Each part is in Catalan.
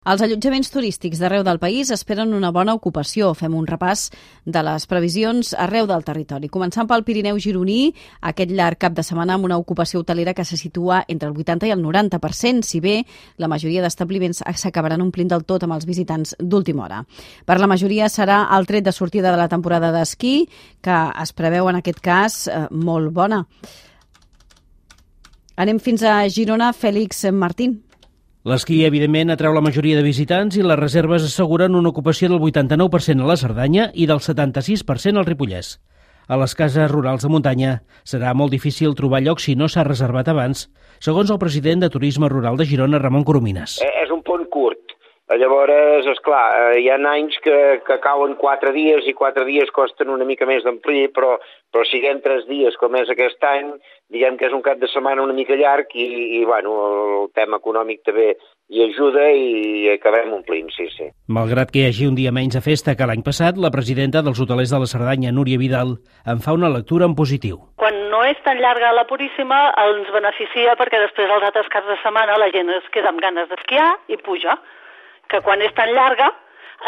Els allotjaments turístics d'arreu del país esperen una bona ocupació. Fem un repàs de les previsions arreu del territori. Començant pel Pirineu gironí, aquest llarg cap de setmana amb una ocupació hotelera que se situa entre el 80 i el 90%, si bé la majoria d'establiments s'acabaran omplint del tot amb els visitants d'última hora. Per la majoria serà el tret de sortida de la temporada d'esquí, que es preveu en aquest cas molt bona. Anem fins a Girona, Fèlix Martín. L'esquí, evidentment, atreu la majoria de visitants i les reserves asseguren una ocupació del 89% a la Cerdanya i del 76% al Ripollès. A les cases rurals de muntanya serà molt difícil trobar lloc si no s'ha reservat abans, segons el president de Turisme Rural de Girona, Ramon Coromines. És un pont curt. Llavors, esclar, hi ha anys que cauen 4 dies i 4 dies costen una mica més d'omplir, però siguem 3 dies com és aquest any, diguem que és un cap de setmana una mica llarg i bueno, el tema econòmic també hi ajuda i acabem omplint, sí. Malgrat que hi hagi un dia menys de festa que l'any passat, la presidenta dels hotelers de la Cerdanya, Núria Vidal, en fa una lectura en positiu. Quan no és tan llarga la Puríssima, ens beneficia perquè després els altres caps de setmana la gent es queda amb ganes d'esquiar i puja. Que quan és tan llarga,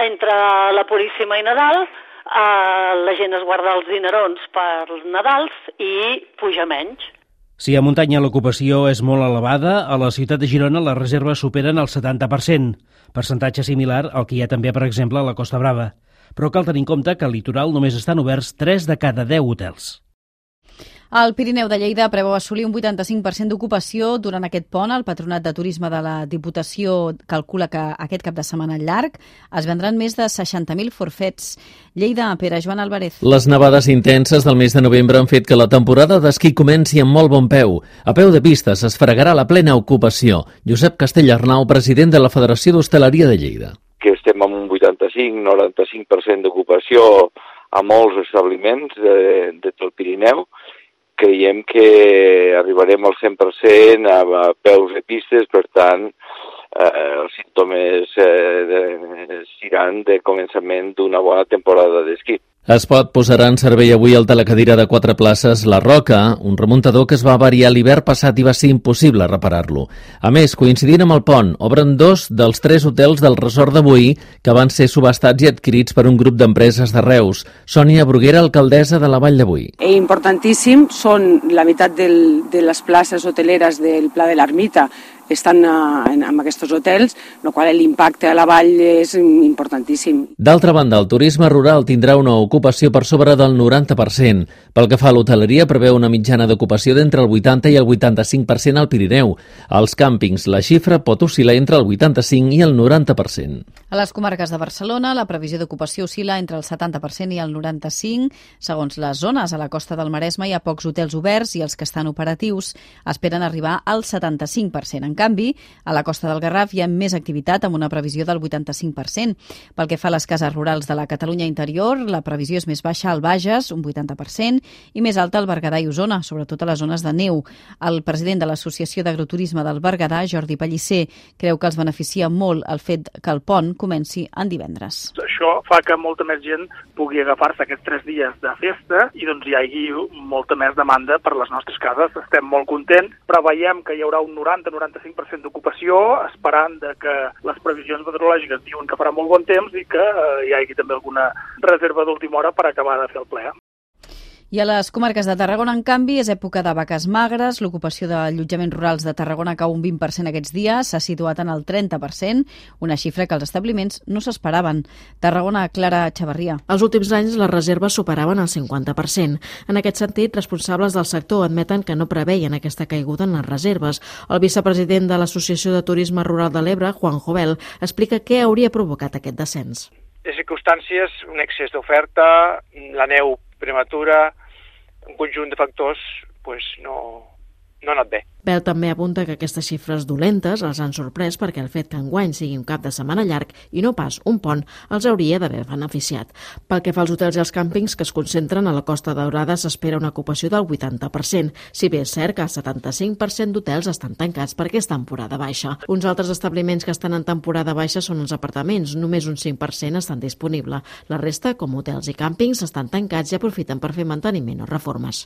entre la Puríssima i Nadal, la gent es guarda els dinerons per Nadals i puja menys. Si a muntanya l'ocupació és molt elevada, a la ciutat de Girona les reserves superen el 70%, percentatge similar al que hi ha també, per exemple, a la Costa Brava. Però cal tenir en compte que al litoral només estan oberts 3 de cada 10 hotels. El Pirineu de Lleida preveu assolir un 85% d'ocupació durant aquest pont. El Patronat de Turisme de la Diputació calcula que aquest cap de setmana llarg es vendran més de 60.000 forfets. Lleida, Pere Joan Álvarez. Les nevades intenses del mes de novembre han fet que la temporada d'esquí comenci amb molt bon peu. A peu de pista s'esfregarà la plena ocupació. Josep Castellarnau, president de la Federació d'Hostaleria de Lleida. Que estem amb un 85-95% d'ocupació a molts establiments de tot el Pirineu. Creiem que arribarem al 100% a peus de pistes, per tant, els símptomes seran de començament d'una bona temporada d'esquí. Espot posarà en servei avui el telecadira de 4 places La Roca, un remuntador que es va avariar l'hivern passat i va ser impossible reparar-lo. A més, coincidint amb el pont, obren 2 dels 3 hotels del resort d'avui que van ser subhastats i adquirits per un grup d'empreses de Reus. Sònia Bruguera, alcaldessa de la Vall d'Avui. Importantíssim, són la meitat de les places hoteleres del Pla de l'Ermita estan en aquests hotels, el qual l'impacte a la vall és importantíssim. D'altra banda, el turisme rural tindrà una ocupació per sobre del 90%. Pel que fa a l'hoteleria, preveu una mitjana d'ocupació d'entre el 80 i el 85% al Pirineu. Als càmpings, la xifra pot oscil·lar entre el 85 i el 90%. A les comarques de Barcelona, la previsió d'ocupació oscil·la entre el 70% i el 95%. Segons les zones, a la costa del Maresme hi ha pocs hotels oberts i els que estan operatius esperen arribar al 75%. En canvi, a la costa del Garraf hi ha més activitat amb una previsió del 85%. Pel que fa a les cases rurals de la Catalunya interior, la previsió és més baixa al Bages, un 80%, i més alta al Berguedà i Osona, sobretot a les zones de neu. El president de l'Associació d'Agroturisme del Berguedà, Jordi Pellicer, creu que els beneficia molt el fet que el pont comenci en divendres. Això fa que molta més gent pugui agafar-se aquests 3 dies de festa i doncs hi hagi molta més demanda per les nostres cases. Estem molt contents, però veiem que hi haurà un 90-95% d'ocupació, esperant que les previsions meteorològiques diuen que farà molt bon temps i que hi hagi també alguna reserva d'última hora per acabar de fer el ple. I a les comarques de Tarragona, en canvi, és època de vaques magres. L'ocupació d'allotjaments rurals de Tarragona cau un 20% aquests dies, s'ha situat en el 30%, una xifra que els establiments no s'esperaven. Tarragona, Clara Chavarria. Els últims anys les reserves superaven el 50%. En aquest sentit, responsables del sector admeten que no preveien aquesta caiguda en les reserves. El vicepresident de l'Associació de Turisme Rural de l'Ebre, Juan Jovel, explica què hauria provocat aquest descens. Les circumstàncies, un excés d'oferta, la neu prematura, un conjunt de factors no ha anat bé. Bell també apunta que aquestes xifres dolentes els han sorprès perquè el fet que enguany sigui un cap de setmana llarg i no pas un pont els hauria d'haver beneficiat. Pel que fa als hotels i als càmpings que es concentren a la Costa Daurada s'espera una ocupació del 80%, si bé és cert que el 75% d'hotels estan tancats perquè és temporada baixa. Uns altres establiments que estan en temporada baixa són els apartaments, només un 5% estan disponibles. La resta, com hotels i càmpings, estan tancats i aprofiten per fer manteniment o reformes.